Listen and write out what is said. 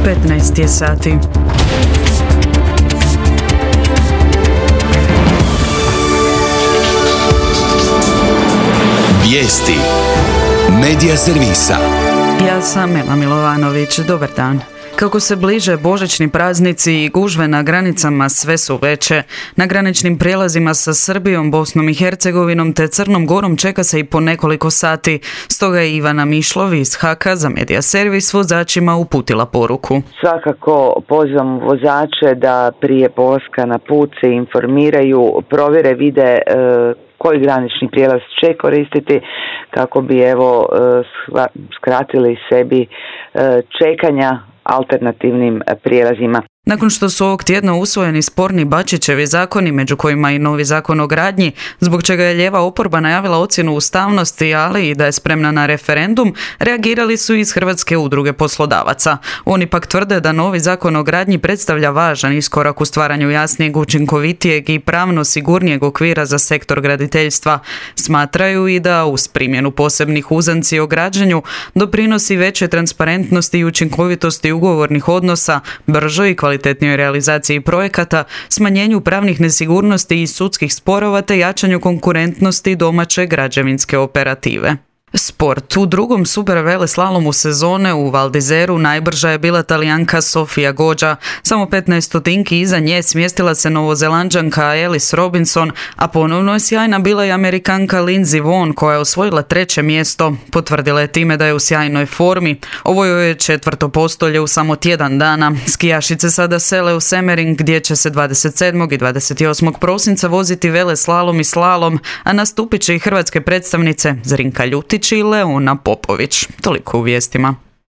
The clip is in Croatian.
15 je sati. Vijesti Medija servisa. Ja sam Ema Milovanović. Dobar dan. Kako se bliže božićni praznici i gužve na granicama sve su veće. Na graničnim prijelazima sa Srbijom, Bosnom i Hercegovinom te Crnom Gorom čeka se i po nekoliko sati. Stoga je Ivana Mišlov iz HAK-a za Medija servis vozačima uputila poruku. Svakako pozivam vozače da prije polaska na put se informiraju, provjere, vide koji granični prijelaz će koristiti kako bi skratili sebi čekanja alternativnim prijelazima. Nakon što su ovog tjedna usvojeni sporni Bačićevi zakoni, među kojima i novi zakon o gradnji, zbog čega je lijeva oporba najavila ocjenu ustavnosti, ali i da je spremna na referendum, reagirali su iz Hrvatske udruge poslodavaca. Oni pak tvrde da novi zakon o gradnji predstavlja važan iskorak u stvaranju jasnijeg, učinkovitijeg i pravno sigurnijeg okvira za sektor graditeljstva. Smatraju i da uz primjenu posebnih uzanci o građenju doprinosi veće transparentnosti i učinkovitosti ugovornih odnosa, bržoj i kvalitetnijoj realizaciji projekata, smanjenju pravnih nesigurnosti i sudskih sporova te jačanju konkurentnosti domaće građevinske operative. Sport. U drugom superveleslalomu sezone u Val d'Izeru najbrža je bila Talijanka Sofia Goggia. Samo 15 stotinki iza nje smjestila se Novozelanđanka Alice Robinson, a ponovno je sjajna bila i Amerikanka Lindsey Vonn koja je osvojila 3. mjesto. Potvrdila je time da je u sjajnoj formi. Ovo joj je 4. postolje u samo tjedan dana. Skijašice sada sele u Semmering gdje će se 27. i 28. prosinca voziti veleslalom i slalom, a nastupit će i hrvatske predstavnice Zrinka Ljutić i Leona Popović. Toliko u vijestima.